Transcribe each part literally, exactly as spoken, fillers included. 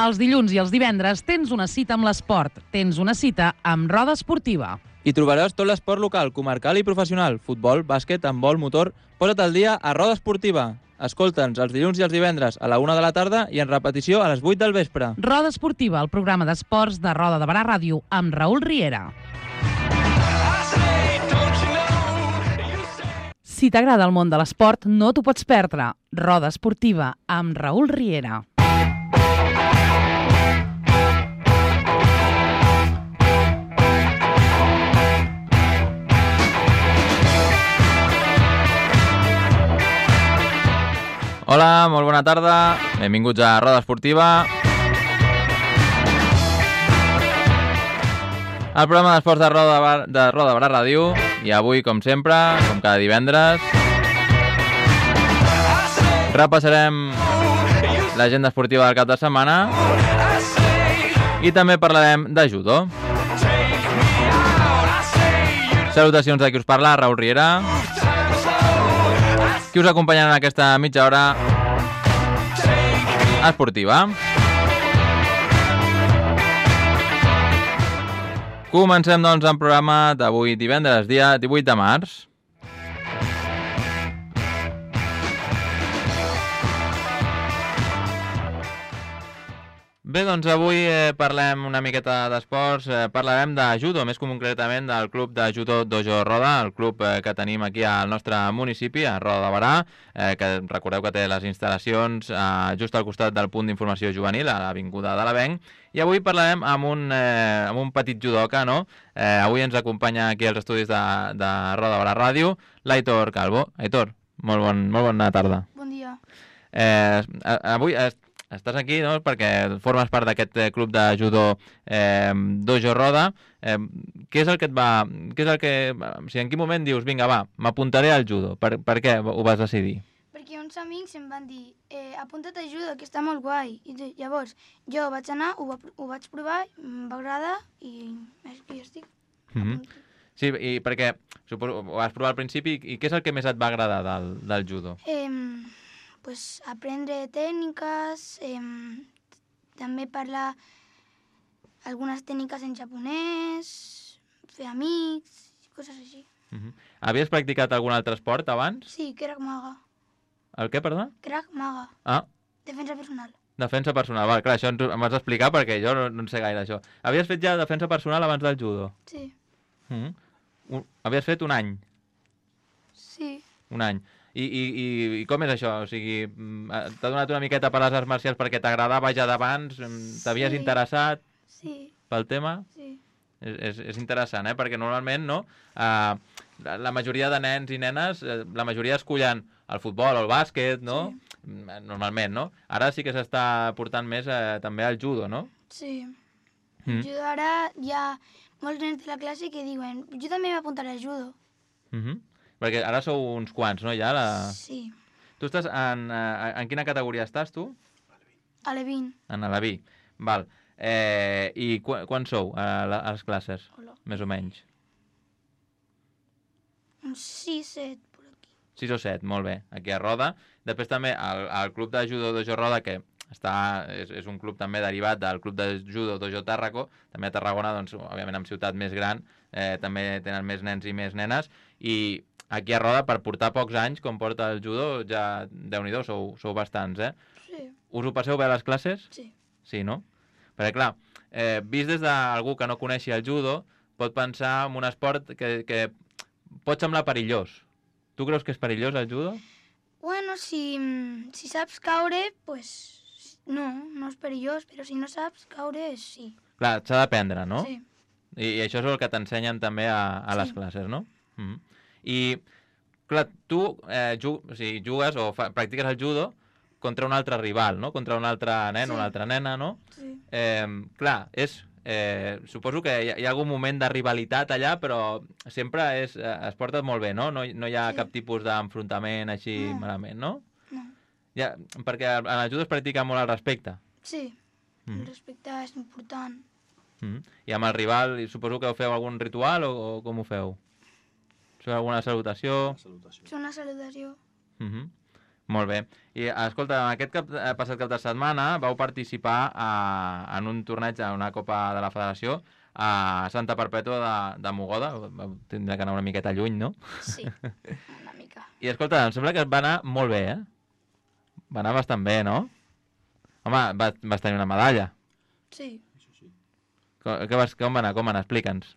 Els dilluns i els divendres tens una cita amb l'esport. Tens una cita amb Roda Esportiva. Hi trobaràs tot l'esport local, comarcal i professional. Futbol, bàsquet, handbol, motor... Posa't al dia a Roda Esportiva. Escolta'ns els dilluns i els divendres a la una de la tarda i en repetició a les vuit del vespre. Roda Esportiva, el programa d'esports de Roda de Barà Ràdio, amb Raül Riera. Si t'agrada el món de l'esport, no t'ho pots perdre. Roda Esportiva, amb Raül Riera. Hola, molt bona tarda. Benvinguts a Roda Esportiva. El programa d'esports de Roda de Roda Barà Ràdio. I avui, com sempre, com cada divendres, repassarem l'agenda esportiva del cap de setmana i també parlarem de judo. Salutacions de qui us parla, Raül Riera. Qui us acompanyarà en aquesta mitja hora esportiva. Comencem, doncs, el programa d'avui divendres, dia divuit de març. Bé, doncs avui eh, parlem una miqueta d'esports, eh, parlarem de judo, més concretament del club de judo Dojo Roda, el club eh, que tenim aquí al nostre municipi, a Roda de Barà, eh, que recordeu que té les instal·lacions eh, just al costat del punt d'informació juvenil, a l'avinguda de l'Avenc, i avui parlarem amb un, eh, amb un petit judoka, no? Eh, avui ens acompanya aquí als estudis de, de Roda de Barà Ràdio, l'Aitor Calvo. Aitor, molt, bon, molt bona tarda. Bon dia. Eh, avui... Eh, Estàs aquí, no?, perquè formes part d'aquest club de judo eh, Dojo Roda. Eh, què és el que et va... Què és el que... O sigui, en quin moment dius, vinga, va, m'apuntaré al judo? Per, per què ho vas decidir? Perquè uns amics em van dir, eh, apunta't a judo, que està molt guai. I llavors jo vaig anar, ho, va, ho vaig provar, em va agradar i aquí estic. Mm-hmm. Sí, i perquè suposo, ho vas provar al principi, i què és el que més et va agradar del, del judo? Eh, pues aprendre tècniques, eh, també parlar algunes tècniques en japonès, fer amics, coses així. Uh-huh. Havies practicat algun altre esport abans? Sí, Krav Maga. El què, perdó? Krav Maga. Ah. Defensa personal. Defensa personal, val, clar, això ens, em vas explicar perquè jo no, no en sé gaire això. Havies fet ja defensa personal abans del judo? Sí. Uh-huh. Un, havies fet un any? Sí. Un any. I, i, i, i com és això? O sigui, t'ha donat una miqueta per les arts marcials perquè t'agradava ja d'abans? T'havies Sí. interessat Sí. pel tema? Sí. És, és, és interessant, eh? Perquè normalment, no? Uh, la, la majoria de nens i nenes, eh, la majoria escollen el futbol o el bàsquet, no? Sí. Normalment, no? Ara sí que s'està portant més eh, també al judo, no? Sí. Mm. Judo ara hi ha molts nens de la classe que diuen jo també m'apuntaré a judo. Mm-hmm. Perquè ara sou uns quants, no? Ja la... Sí. Tu estàs en... Eh, en quina categoria estàs, tu? A l'E vint. En la B. Val. Eh, I qu quan sou a, la, a les classes? Hola. Més o menys. Uns sis, set, per aquí. sis o set, molt bé. Aquí a Roda. Després també el, el club de judo Dojo Roda, que està, és, és un club també derivat del club de judo Dojo Tàrraco. També a Tarragona, doncs, òbviament, en ciutat més gran, eh, també tenen més nens i més nenes. I aquí a Roda, per portar pocs anys, com porta el judo, ja, déu-n'hi-do, sou, sou bastants, eh? Sí. Us ho passeu bé a les classes? Sí. Sí, no? Perquè, clar, eh, vist des d'algú que no coneixi el judo, pot pensar en un esport que, que pot semblar perillós. Tu creus que és perillós el judo? Bueno, si, si saps caure, pues no, no és perillós, però si no saps caure, sí. Clar, s'ha d'aprendre, no? Sí. I, I això és el que t'ensenyen també a, a les Sí. classes, no? Mm-hmm. I, clar, tu eh, jug, o sigui, jugues o fa, practiques el judo contra un altre rival, no? Contra un altre nen, Sí. una altra nena, no? Sí. Eh, clar, és... Eh, suposo que hi ha, hi ha algun moment de rivalitat allà, però sempre és, eh, es porta molt bé, no? No, no hi ha Sí. cap tipus d'enfrontament així No. malament, no? No. Ja, perquè en el judo es practica molt el respecte. Sí. Mm. El respecte és important. Mm. I amb el rival, suposo que feu algun ritual o, o com ho feu? Feu alguna salutació? És una salutació. Mm-hmm. Molt bé. I, escolta, aquest cap, passat cap de setmana vau participar a, en un torneig, a una Copa de la Federació, a Santa Perpètua de, de Mogoda. Vau tindre que anar una miqueta lluny, no? Sí, una mica. I escolta, em sembla que va anar molt bé, eh? Va anar bastant bé, no? Home, vas, vas tenir una medalla. Sí. Com, que vas, com va anar? Com va anar? Explica'ns.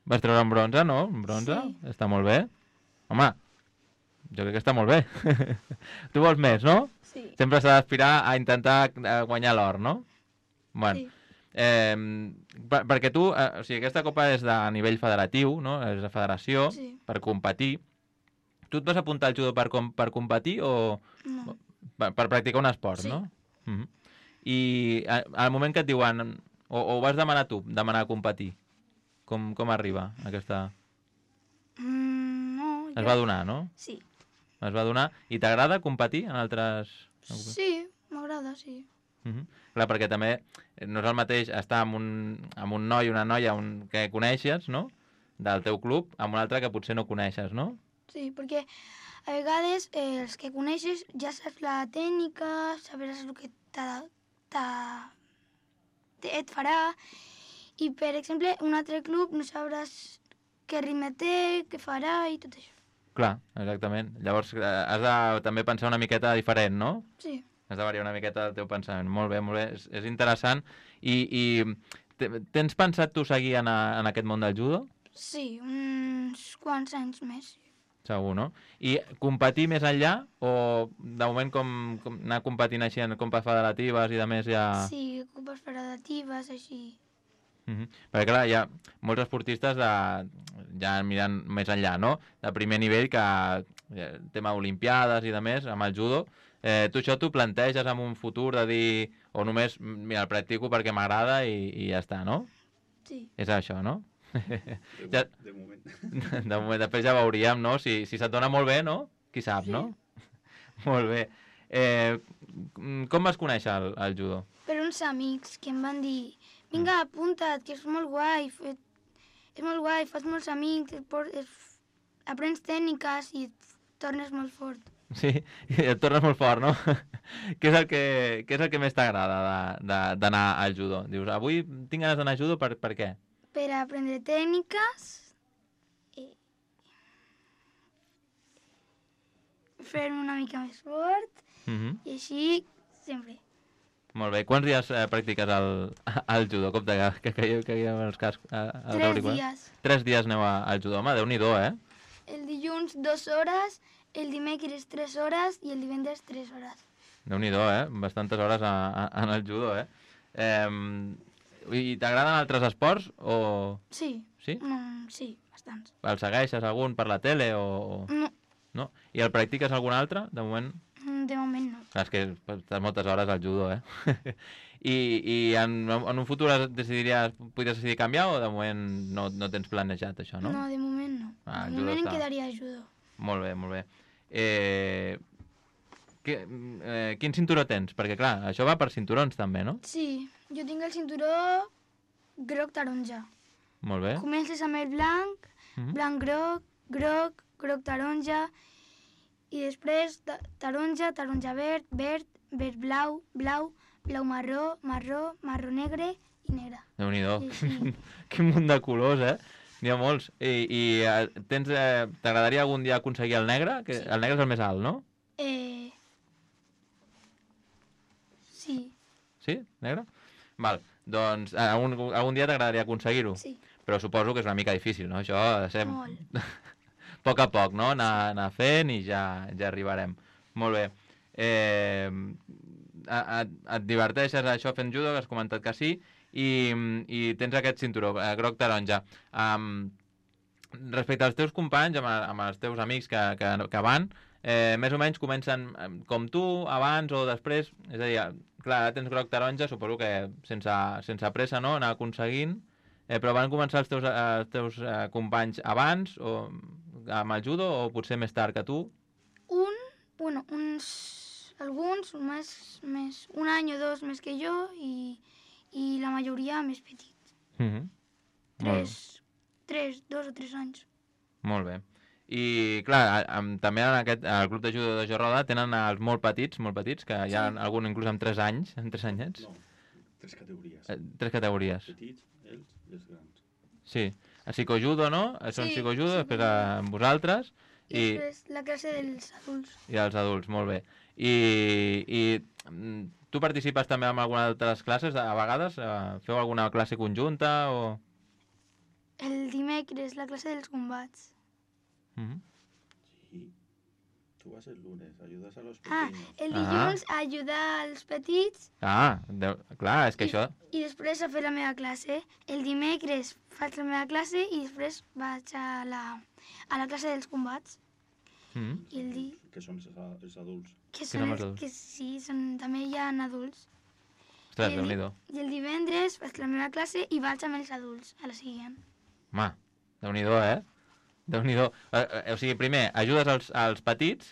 Vas treure un bronze, no? Un bronze? Sí. Està molt bé. Home, jo crec que està molt bé. Tu vols més, no? Sí. Sempre s'ha d'aspirar a intentar guanyar l'or, no? Bueno, Sí. eh, per, perquè tu, eh, o sigui, aquesta copa és de nivell federatiu, no? És de federació, Sí. per competir. Tu et vas apuntar al judo per, com, per competir o No. per, per practicar un esport, Sí. no? Uh -huh. I a, al moment que et diuen, o, o ho vas demanar tu, demanar competir, com, com arriba aquesta... Mm, no, Es jo... va donar, no? Sí. Es va donar. I t'agrada competir en altres... Sí, m'agrada, sí. Uh -huh. Clar, perquè també no és el mateix estar amb un, amb un noi o una noia un, que coneixes, no?, del teu club, amb un altre que potser no coneixes, no? Sí, perquè a vegades eh, els que coneixes ja saps la tècnica, sabràs el que t'ha, t'ha, et farà, i per exemple un altre club no sabràs què ritme té, què farà i tot això. Clar, exactament. Llavors eh, has de també pensar una miqueta diferent, no? Sí. Has de variar una miqueta el teu pensament. Molt bé, molt bé. És, és interessant. I, i te- tens pensat tu seguir en, a, en aquest món del judo? Sí, uns quants anys més. Segur, no? I competir més enllà o de moment com, com anar competint així en compes federatives i de més ja... Sí, copes federatives, així. Uh -huh. Perquè clar, hi ha molts esportistes de, ja mirant més enllà, no? De primer nivell que eh, tema olimpiades i de més, amb el judo. Eh, tu això t'ho planteges en un futur de dir, o només, mira, el practico perquè m'agrada i, i ja està, no? Sí. És això, no? De, Ja- de moment. De moment, després ja veuríem, no? Si, si se't dona molt bé, no? Qui sap, Sí. no? Molt bé. Eh, com vas conèixer el, el judo? Per uns amics que em van dir vinga, apunta't, que és molt guai, fe- és molt guai, fas molts amics, et por- es- aprens tècniques i et tornes molt fort. Sí, i et tornes molt fort, no? Què és el que, què és el que més t'agrada de- de- d'anar al judo? Dius, avui tinc ganes d'anar al judo, per, per què? Per aprendre tècniques i fer una mica més fort Uh -huh. i així sempre. Molt bé. Quants dies eh, practiques el, el judo? Com que, que, que, que hi ha els cascs, eh, els Tres auriculars? dies. Tres dies aneu a- al judo. Home, Déu-n'hi-do, eh? El dilluns dues hores, el dimecres tres hores i el divendres tres hores. Déu-n'hi-do, eh? Bastantes hores a, a, en el judo, eh? eh I t'agraden altres esports o... Sí. Sí? Mm, sí, bastants. El segueixes algun per la tele o... o- No, No? I el practiques algun altre? De moment... mm, de moment no. Clar, és que estàs moltes hores al judo, eh? I, i en, en un futur es decidiries, podries decidir canviar o de moment no, no tens planejat això, no? No, de moment no. Ah, el de judo moment em està- quedaria a judo. Molt bé, molt bé. Eh, que, eh, quin cinturó tens? Perquè, clar, això va per cinturons també, no? Sí, jo tinc el cinturó groc taronja. Molt bé. Comences amb el blanc, Mhm. blanc groc, groc, groc taronja, i després ta- taronja, taronja verd, verd, verd blau, blau, blau marró, marró, marró negre i negre. Déu-n'hi-do. Sí, sí. Quin munt de colors, eh? N'hi ha molts. I, i eh, tens, eh, t'agradaria algun dia aconseguir el negre? Que Sí. el negre és el més alt, no? Eh... Sí, Sí? Negre? Val. Doncs eh, algun, algun dia t'agradaria aconseguir-ho? sí, Però suposo que és una mica difícil, no? Això ha de ser molt. a poc a poc, no? Anar, anar fent i ja, ja arribarem. Molt bé. Eh, a- a- et diverteixes això fent judo, que has comentat que sí, i, i tens aquest cinturó, eh, groc taronja. Um, respecte als teus companys, amb, amb els teus amics que, que, que van, eh, més o menys comencen eh, com tu, abans o després, és a dir, clar, ara tens groc taronja, suposo que sense, sense pressa, no?, anar aconseguint, eh, però van començar els teus, eh, els teus eh, companys abans, o amb el judo, o potser més tard que tu? Un, bueno, uns, alguns més, més, un any o dos més que jo i, i la majoria més petits. Mm -hmm. Tres, tres, dos o tres anys. Molt bé. I, clar, amb, també en aquest, el club de judo de Jo Roda tenen els molt petits, molt petits, que hi ha Sí. algun inclús amb tres anys, amb tres anyets. No, tres categories. Eh, tres categories. Petits, ells i els grans. Sí. A psicojudo, no? Són Sí, psicojudo, després psicojudo. amb vosaltres I, i, després la classe dels adults. i els adults, molt bé. I, i mm, tu participes també en alguna d'altres classes, a vegades? Eh, Feu alguna classe conjunta o...? El dimecres, la classe dels combats. Mhm. Sí. Tú vas el lunes, ayudas a los Ah, pequeños. el Ah. dilluns a ajudar els petits Ah, de... clar, és que I- això... i després a fer la meva classe. El dimecres faig la meva classe i després vaig a la, a la classe dels combats. Mhm. I el di... Que són els, a- els adults. Que són són els els, adults? que sí, són, també hi ha adults. Ostres, I el, Déu-n'hi-do. I el divendres faig la meva classe i vaig amb els adults a la següent. Home, Déu-n'hi-do, eh? Déu-n'hi-do. Eh, eh, o sigui, primer, ajudes als, als petits,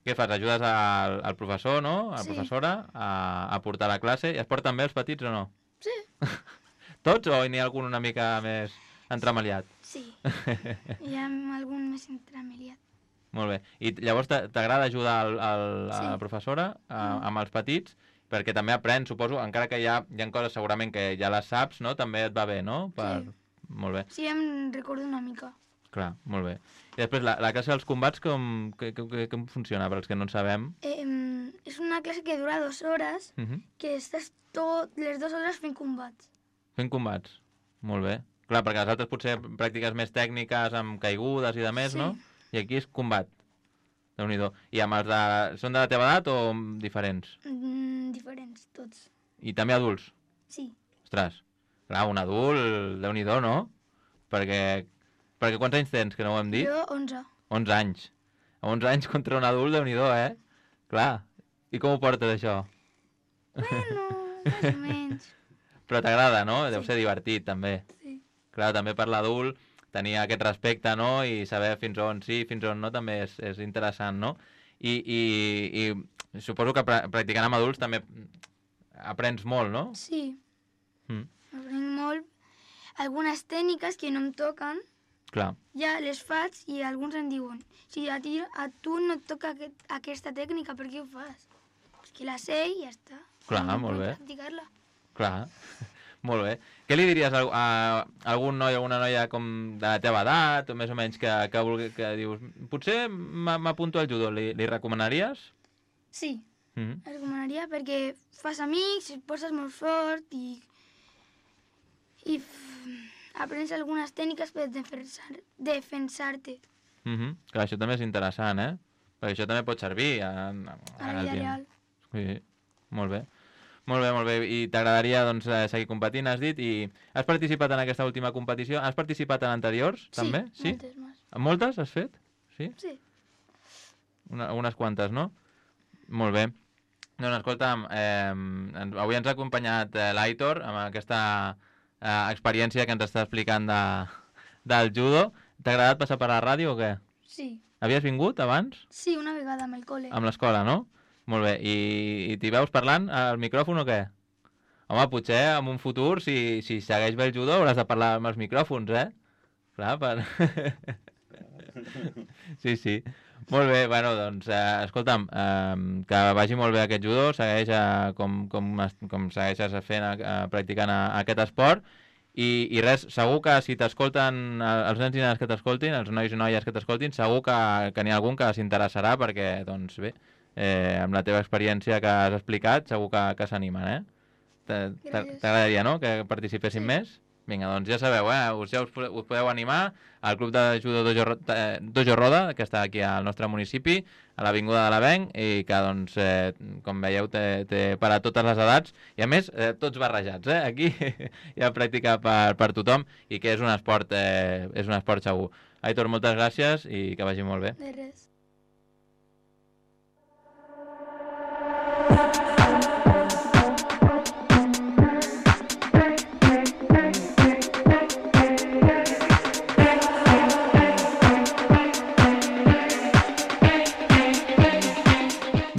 què fas? Ajudes al, al professor, no? A la Sí. professora a, a portar la classe. I es porten bé els petits o no? Sí. Tots o n'hi ha algun una mica més entremaliat? Sí. Hi ha algun més entremeliat. Molt bé. I llavors t'a- t'agrada ajudar al, al, a Sí. la professora a, Mm. amb els petits? Perquè també aprens, suposo, encara que hi ha, hi ha coses segurament que ja les saps, no? També et va bé, no? Per... Sí. Molt bé. Sí, em recordo una mica. Clar, molt bé. I després, la, la classe dels combats, com, que, que, que, com funciona, per als que no en sabem? Eh, em, és una classe que dura dues hores, Uh -huh. que estàs tot les dues hores fent combats. Fent combats. Molt bé. Clar, perquè les altres potser pràctiques més tècniques, amb caigudes i de més, Sí. no? I aquí és combat. Déu-n'hi-do. I amb els de... Són de la teva edat o diferents? Mm, diferents, tots. I també adults? Sí. Ostres, clar, un adult, Déu-n'hi-do, no? Perquè... Perquè quants anys tens, que no ho hem dit? Jo, onze. onze anys. Amb onze anys contra un adult, Déu-n'hi-do, eh? Clar. I com ho portes, això? Bueno, més o menys. Però t'agrada, no? Deu Sí. ser divertit, també. Sí. Clar, també per l'adult tenir aquest respecte, no? I saber fins on sí, fins on no, també és, és interessant, no? I, i, i suposo que pra practicant amb adults també aprens molt, no? Sí. Mm, Aprenc molt. Algunes tècniques que no em toquen, clar, ja les faig i alguns em diuen si a, ti, a tu no et toca aquest, aquesta tècnica, per què ho fas? És que la sé i ja està. Clar, No molt puc bé. practicar-la. clar. Molt bé. Què li diries a, a algun noi o alguna noia com de la teva edat, o més o menys, que, que, vulgui, que dius, potser m'a- m'apunto al judo, li, li recomanaries? Sí, Mm -hmm. el recomanaria perquè fas amics, et poses molt fort i, i f- aprens algunes tècniques per defensar- defensar-te Mm -hmm. Clar, això també és interessant, eh? Perquè això també pot servir en, en, a en la el vida dia. real. Sí, molt bé. Molt bé, molt bé. I t'agradaria doncs, eh, seguir competint, has dit, i has participat en aquesta última competició? Has participat en anteriors, també? Sí, moltes més. En moltes has fet? Sí? Sí. Una, unes quantes, no? Molt bé. Doncs escolta'm, eh, ens- avui ens ha acompanyat eh, l'Aitor amb aquesta eh, experiència que ens està explicant de, del judo. T'ha agradat passar per la ràdio o què? Sí. Havies vingut abans? Sí, una vegada amb el col·le. Amb l'escola, no? Molt bé. I, i t'hi veus parlant al micròfon o què? Home, potser en un futur, si, si segueix bé el judo, hauràs de parlar amb els micròfons, eh? Clar, per... sí, sí. Molt bé, bueno, doncs, eh, escolta'm, eh, que vagi molt bé aquest judo, segueix eh, com, com, es- com segueixes fent, eh, practicant eh, aquest esport, i, i res, segur que si t'escolten, eh, els nens i nenes que t'escoltin, els nois i noies que t'escoltin, segur que, que n'hi ha algun que s'interessarà perquè, doncs bé, eh, amb la teva experiència que has explicat, segur que, que s'animen, eh? T'a- t'a- Gràcies. T'agradaria, no?, que participessin Sí. més? Vinga, doncs ja sabeu, eh? Us, ja us, po- us podeu animar al Club de Judo Dojo, Ro- eh, Dojo Roda, que està aquí al nostre municipi, a l'Avinguda de l'Avenc, i que, doncs, eh, com veieu, té, té per a totes les edats, i a més, eh, tots barrejats, eh? Aquí hi ha pràctica per, per tothom, i que és un esport, eh, és un esport segur. Aitor, moltes gràcies i que vagi molt bé. De res.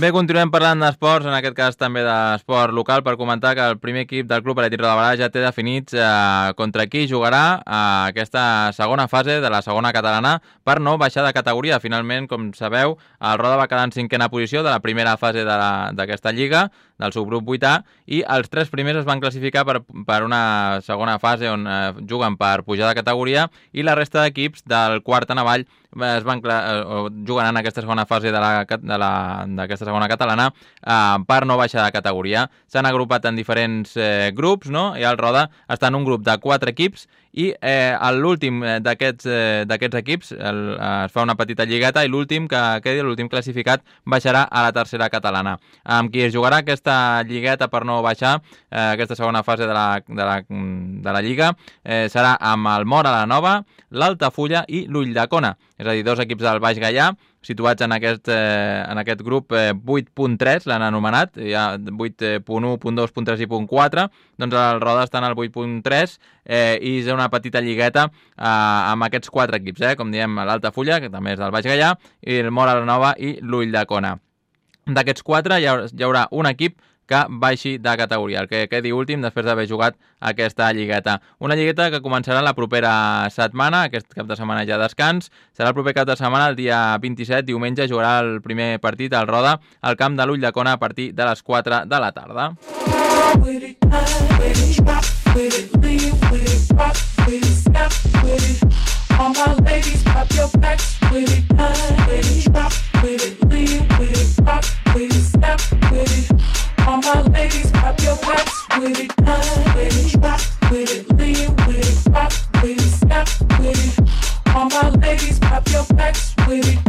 Bé, continuem parlant d'esports, en aquest cas també d'esport local, per comentar que el primer equip del Club Atlètic Roda de Barà ja té definits eh, contra qui jugarà a aquesta segona fase de la segona catalana per no baixar de categoria. Finalment, com sabeu, el Roda va quedar en cinquena posició de la primera fase d'aquesta lliga, del subgrup vuit A, i els tres primers es van classificar per, per una segona fase on eh, juguen per pujar de categoria, i la resta d'equips del quart en avall es van eh, jugant en aquesta segona fase d'aquesta segona catalana eh, per no baixar de categoria. S'han agrupat en diferents eh, grups, no? I el Roda està en un grup de quatre equips, i eh, l'últim d'aquests eh, d'aquests equips el, eh, es fa una petita lligueta, i l'últim que quedi, l'últim classificat, baixarà a la tercera catalana. Amb qui es jugarà aquesta lligueta per no baixar, eh, aquesta segona fase de la, de la, de la lliga, eh, serà amb el Móra la Nova, l'Altafulla i l'Ulldecona. És a dir, dos equips del Baix Gaià, situats en aquest, eh, en aquest grup eh, vuit punt tres, l'han anomenat, hi ha vuit punt u, punt dos, punt tres i punt quatre, doncs el Roda està en el vuit punt tres, eh, i és una petita lligueta eh, amb aquests quatre equips, eh, com diem, l'Altafulla, que també és del Baix Gaià, i el Móra la Nova i l'Ulldecona. D'aquests quatre hi haurà, hi haurà un equip que baixi de categoria, el que quedi últim després d'haver jugat aquesta lligueta. Una lligueta que començarà la propera setmana, aquest cap de setmana ja descans, serà el proper cap de setmana, el dia vint-i-set, diumenge, jugarà el primer partit al Roda al camp de l'Ulldecona a partir de les quatre de la tarda. All my ladies, pop your backs with it, with it, drop with it, lean with it, rock with it, snap with it. All my ladies, pop your backs with it, with it, drop with it, lean with it, rock with it, snap with it. All my ladies, pop your backs with it,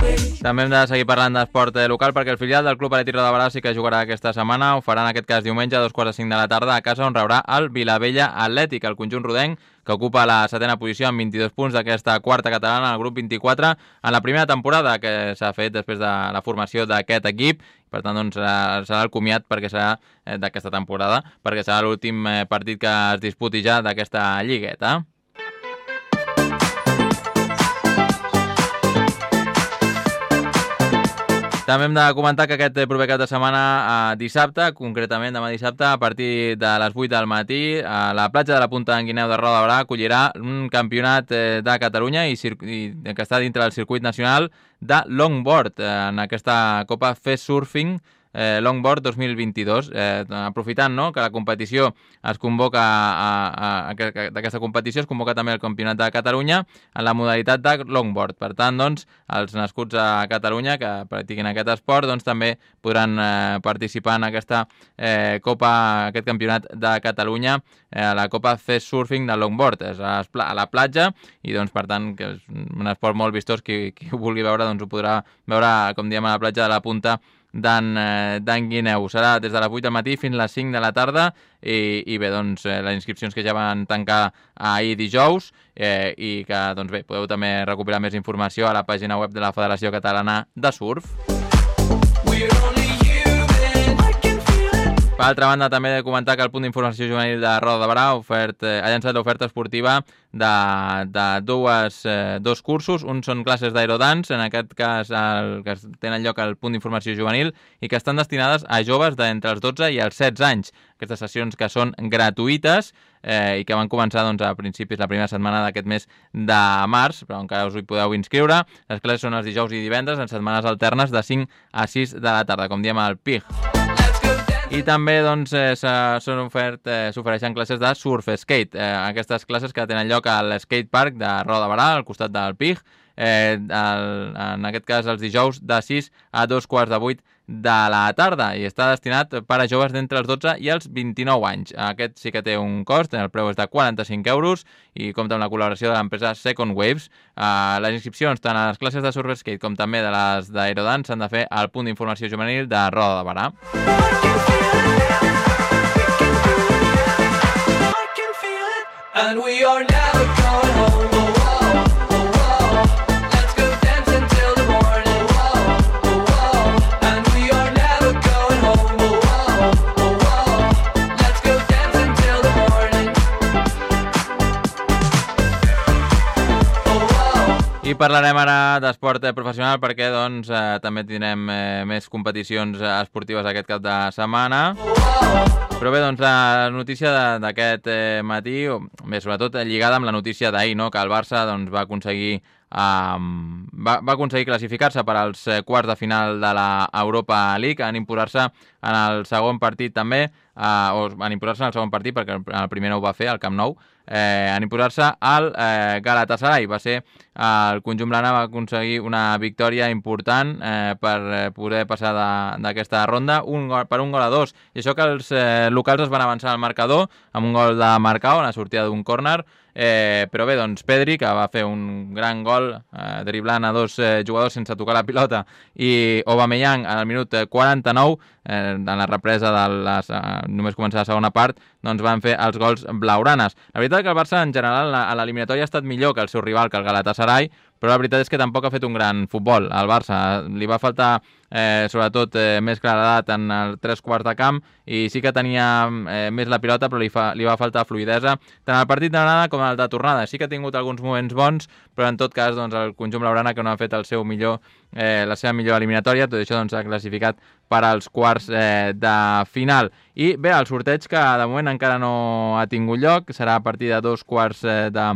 with it. També hem de seguir parlant d'esport local, perquè el filial del Club Atlètic Roda de Barà sí que jugarà aquesta setmana. Ho farà en aquest cas diumenge a dos quarts de cinc de la tarda a casa, on rebrà el Vilavella Atlètic, el conjunt rodenc, que ocupa la setena posició amb vint-i-dos punts d'aquesta quarta catalana, al grup vint-i-quatre, en la primera temporada que s'ha fet després de la formació d'aquest equip. Per tant, doncs, serà el comiat perquè serà d'aquesta temporada, perquè serà l'últim partit que es disputi ja d'aquesta lligueta. També hem de comentar que aquest proper cap de setmana, eh, dissabte, concretament demà dissabte, a partir de les vuit del matí, a la platja de la Punta d'en Guineu de Roda de Barà acollirà un campionat eh, de Catalunya i, i que està dintre del circuit nacional de longboard, eh, en aquesta Copa Fest Surfing Eh, Longboard dos mil vint-i-dos, eh, aprofitant, no?, que la competició es convoca a, a, a, d'aquesta competició es convoca també el Campionat de Catalunya en la modalitat de longboard. Per tant, doncs, els nascuts a Catalunya que practiquin aquest esport, doncs també podran eh, participar en aquesta eh, Copa, aquest Campionat de Catalunya, eh, la Copa Fest Surfing de longboard. És a la platja i, doncs, per tant, que és un esport molt vistós. Qui, qui ho vulgui veure, doncs ho podrà veure, com diem, a la platja de la Punta d'en Guineu. Serà des de les vuit del matí fins a les cinc de la tarda i, i bé, doncs, eh, les inscripcions que ja van tancar ahir dijous eh, i que, doncs bé, podeu també recuperar més informació a la pàgina web de la Federació Catalana de Surf. Per altra banda, també he de comentar que el punt d'informació juvenil de Roda de Barà ofert, eh, ha llançat l'oferta esportiva de, de dues, eh, dos cursos. Un són classes d'aerodance, en aquest cas el, que tenen lloc al punt d'informació juvenil i que estan destinades a joves d'entre els dotze i els setze anys. Aquestes sessions que són gratuïtes eh, i que van començar, doncs, a principis la primera setmana d'aquest mes de març, però encara us hi podeu inscriure. Les classes són els dijous i divendres en setmanes alternes de cinc a sis de la tarda, com diem al P I G. I també, doncs, eh, s'ofereixen eh, classes de surf skate. Eh, aquestes classes que tenen lloc al skate park de Roda de Barà, al costat del P I G, eh, el, en aquest cas els dijous de sis a dos quarts de vuit de la tarda, i està destinat per a joves d'entre els dotze i els vint-i-nou anys. Aquest sí que té un cost, el preu és de quaranta-cinc euros i compta amb la col·laboració de l'empresa Second Waves. Uh, les inscripcions tant a les classes de surf skate com també de les d'aerodance s'han de fer al punt d'informació juvenil de Roda de Barà. And we are never going home. Oh, oh, oh, oh. Let's go dance until the morning. Oh, oh, oh. And we are never going home. Oh, oh, oh, oh. Let's go dance until the morning. Oh, oh. I parlarem ara d'esport professional perquè doncs, eh, també tindrem eh, més competicions esportives aquest cap de setmana. Però bé, doncs la notícia d'aquest eh, matí, o bé, sobretot lligada amb la notícia d'ahir, no? Que el Barça doncs, va aconseguir Um, va, va aconseguir classificar-se per als eh, quarts de final de la Europa League, en imposar-se en el segon partit també, uh, o en imposar-se en el segon partit, perquè el primer no ho va fer, al Camp Nou, eh, en imposar-se al eh, Galatasaray. Va ser eh, el conjunt blana va aconseguir una victòria important eh, per eh, poder passar d'aquesta ronda un gol, per un gol a dos. I això que els eh, locals es van avançar al marcador amb un gol de Marcao en la sortida d'un córner. Eh, però bé, doncs Pedri, que va fer un gran gol eh, driblant a dos eh, jugadors sense tocar la pilota, i Aubameyang al minut quaranta-nou, eh, en la represa de les, eh, només començar la segona part, doncs van fer els gols blaugranes. La veritat és que el Barça en general a l'eliminatòria ha estat millor que el seu rival, que el Galatasaray, però la veritat és que tampoc ha fet un gran futbol. Al Barça li va faltar eh, sobretot eh, més claredat en el tres quarts de camp, i sí que tenia eh, més la pilota, però li, fa, li va faltar fluidesa tant el partit d'anada com el de tornada. Sí que ha tingut alguns moments bons, però en tot cas doncs, el conjunt blaugrana, que no ha fet el seu millor, eh, la seva millor eliminatòria, tot això doncs, ha classificat per als quarts eh, de final. I bé, el sorteig, que de moment encara no ha tingut lloc, serà a partir de dos quarts eh, de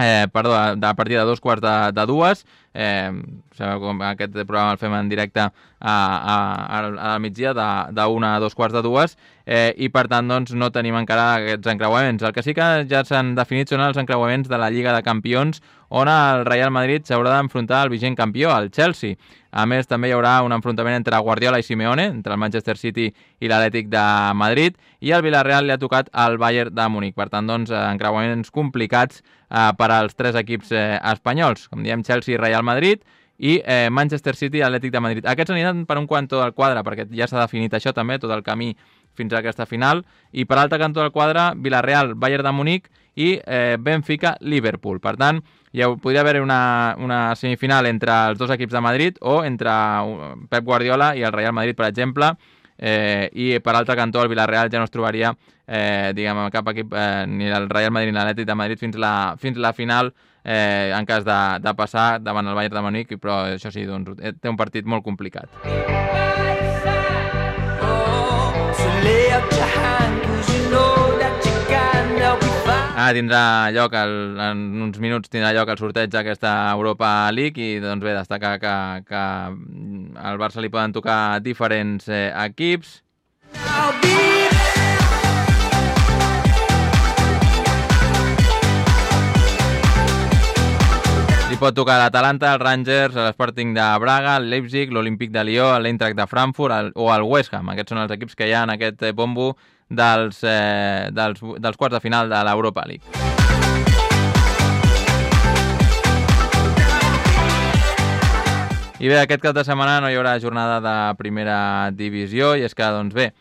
Eh, perdó, a partir de dos quarts de, de dues. Eh, sabeu com aquest programa el fem en directe a, a, a, a migdia de, de una a dos quarts de dues, eh, i per tant doncs, no tenim encara aquests encreuaments. El que sí que ja s'han definit són els encreuaments de la Lliga de Campions, on el Real Madrid s'haurà d'enfrontar al vigent campió, el Chelsea. A més, també hi haurà un enfrontament entre Guardiola i Simeone, entre el Manchester City i l'Atlètic de Madrid, i el Villarreal li ha tocat al Bayern de Múnich. Per tant, doncs, encreuaments complicats eh, per als tres equips eh, espanyols, com diem, Chelsea, Real Madrid i eh, Manchester City i Atlètic de Madrid. Aquests aniran per un cantó del quadre, perquè ja s'ha definit això també, tot el camí fins a aquesta final, i per l'altre cantó del quadre, Villarreal, Bayern de Múnich i eh, Benfica, Liverpool. Per tant, ja podria haver una, una semifinal entre els dos equips de Madrid o entre Pep Guardiola i el Real Madrid, per exemple, eh, i per altre cantó el Villarreal ja no es trobaria eh, diguem, cap equip, eh, ni el Real Madrid ni l'Atlètic de Madrid fins la, fins la final, eh, en cas de, de passar davant el Bayern de Múnich, però això sí, doncs, té un partit molt complicat. Ah, tindrà lloc, el, en uns minuts tindrà lloc el sorteig d'aquesta Europa League, i doncs bé, destacar que, que al Barça li poden tocar diferents eh, equips. Li pot tocar l'Atalanta, el Rangers, l'Sporting de Braga, el Leipzig, l'Olímpic de Lió, l'Eintracht de Frankfurt el, o el West Ham. Aquests són els equips que hi ha en aquest bombo dels, eh, dels, dels quarts de final de l'Europa League. I bé, aquest cap de setmana no hi haurà jornada de primera divisió, i és que, doncs bé,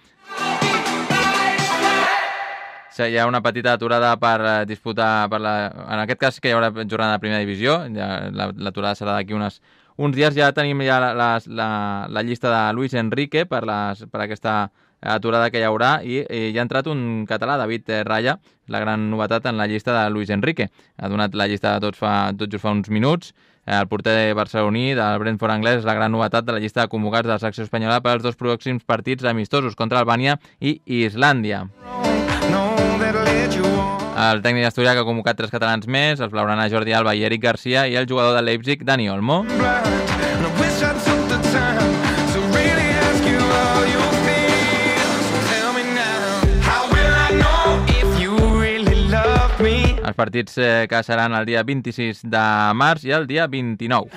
hi ha una petita aturada per disputar, per la, en aquest cas que hi haurà jornada de primera divisió, ja, l'aturada serà d'aquí unes, uns dies. Ja tenim ja la, la, la, la llista de Luis Enrique per, les, per aquesta aturada que hi haurà, i, i hi ha entrat un català, David Raya, la gran novetat en la llista de Luis Enrique. Ha donat la llista de tots, fa, tot just fa uns minuts. El porter barceloní del Brentford anglès és la gran novetat de la llista de convocats de la secció espanyola per als dos pròxims partits amistosos contra Albània i Islàndia. El tècnic asturià, que ha convocat tres catalans més, els blaugrana Jordi Alba i Eric Garcia, i el jugador de Leipzig, Dani Olmo. Els partits eh, que seran el dia vint-i-sis de març i el dia vint-i-nou.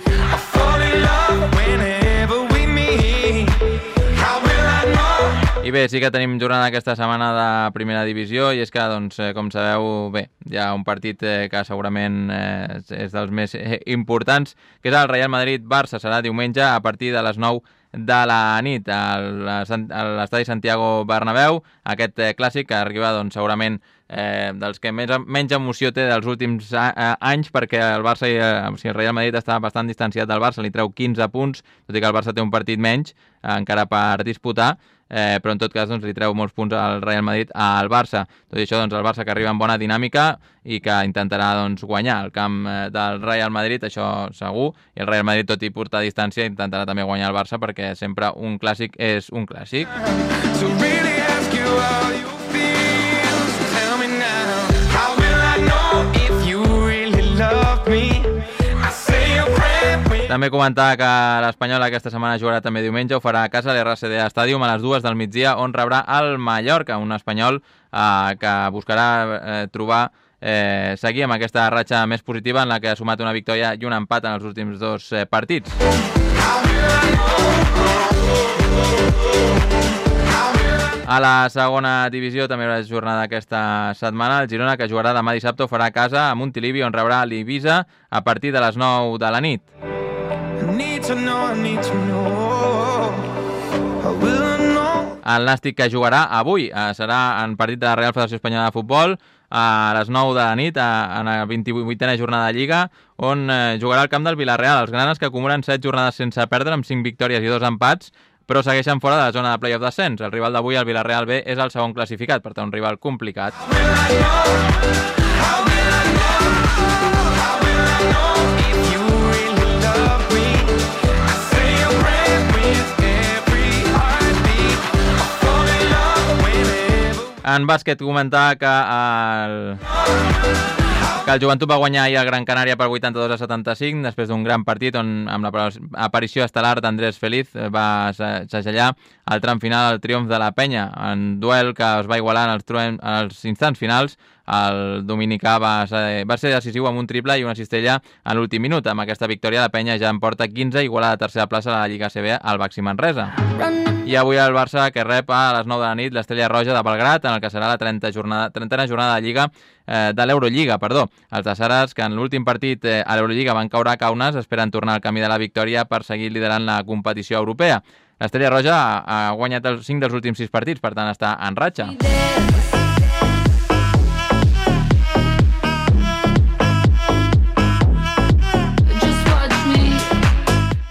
I bé, sí que tenim jornada aquesta setmana de primera divisió, i és que, doncs, eh, com sabeu, bé, hi ha un partit eh, que segurament eh, és dels més eh, importants, que és el Real Madrid-Barça. Serà diumenge a partir de les nou de la nit a l'estadi Santiago Bernabéu, aquest eh, clàssic que arriba, doncs, segurament eh, dels que més, menys emoció té dels últims a, a, anys, perquè el Barça i, eh, o sigui, el Real Madrid està bastant distanciat del Barça, li treu quinze punts, tot i que el Barça té un partit menys eh, encara per disputar. eh, però en tot cas doncs, li treu molts punts al Real Madrid al Barça. Tot i això, doncs, el Barça que arriba amb bona dinàmica i que intentarà doncs, guanyar el camp eh, del Real Madrid, això segur, i el Real Madrid, tot i portar distància, intentarà també guanyar el Barça perquè sempre un clàssic és un clàssic. So really ask you how you feel, so tell me now, how will I know if you really love me? També comentar que l'Espanyol aquesta setmana jugarà també diumenge, ho farà a casa a l'R C D Stadium a les dues del migdia, on rebrà el Mallorca, un Espanyol eh, que buscarà eh, trobar, eh, seguir amb aquesta ratxa més positiva en la que ha sumat una victòria i un empat en els últims dos eh, partits. A la segona divisió també hi haurà jornada aquesta setmana. El Girona, que jugarà demà dissabte, ho farà a casa a Montilivi, on rebrà l'Ibiza a partir de les nou de la nit. El Nàstic, que jugarà avui, serà en partit de la Real Federació Espanyola de Futbol a les nou de la nit, en la vint-i-vuitena jornada de Lliga, on jugarà al camp del Villarreal. Els granes, que acumulen set jornades sense perdre, amb cinc victòries i dos empats, però segueixen fora de la zona de play-off d'ascens. El rival d'avui, el Villarreal B, és el segon classificat, per tant, un rival complicat. En bàsquet, comentar que el... que el Joventut va guanyar ahir el Gran Canària per vuitanta-dos a setanta-cinc, després d'un gran partit on, amb l'aparició estel·lar d'Andrés Feliz, va segellar el tram final al triomf de la Penya. En duel que es va igualar en els, en els instants finals, el dominicà va ser, va ser decisiu amb un triple i una cistella a l'últim minut. Amb aquesta victòria, la Penya ja en porta quinze, igual a la tercera plaça a la Lliga A C B al Baxi Manresa. I avui el Barça, que rep a les nou de la nit l'Estrella Roja de Belgrat, en el que serà la trentena jornada, trentena jornada de Lliga eh, de l'Eurolliga, perdó. Els de Saras, que en l'últim partit eh, a l'Eurolliga van caure a Kaunas, esperen tornar al camí de la victòria per seguir liderant la competició europea. L'Estrella Roja ha, ha guanyat els cinc dels últims sis partits, per tant està en ratxa.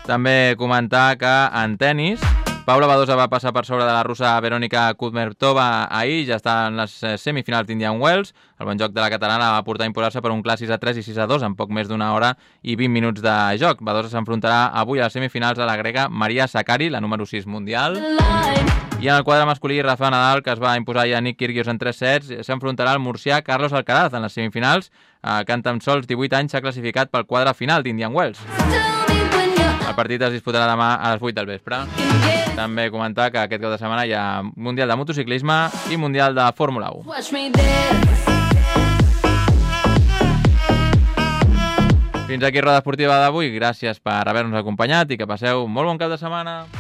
També comentar que en tennis, Paula Badosa va passar per sobre de la russa Verónica Kudermetova ahir, ja està en les semifinals d'Indian Wells. El bon joc de la catalana va portar a imposar-se per un clar sis a tres i sis a dos en poc més d'una hora i vint minuts de joc. Badosa s'enfrontarà avui a les semifinals a la grega Maria Sakkari, la número sis mundial. I en el quadre masculí, Rafa Nadal, que es va imposar ja a Nick Kyrgios en tres sets, s'enfrontarà al murcià Carlos Alcaraz en les semifinals, que en tan sols divuit anys s'ha classificat pel quadre final d'Indian Wells. El partit es disputarà demà a les vuit del vespre. També comentar que aquest cap de setmana hi ha Mundial de Motociclisme i Mundial de Fórmula u. Fins aquí Roda Esportiva d'avui. Gràcies per haver-nos acompanyat i que passeu molt bon cap de setmana.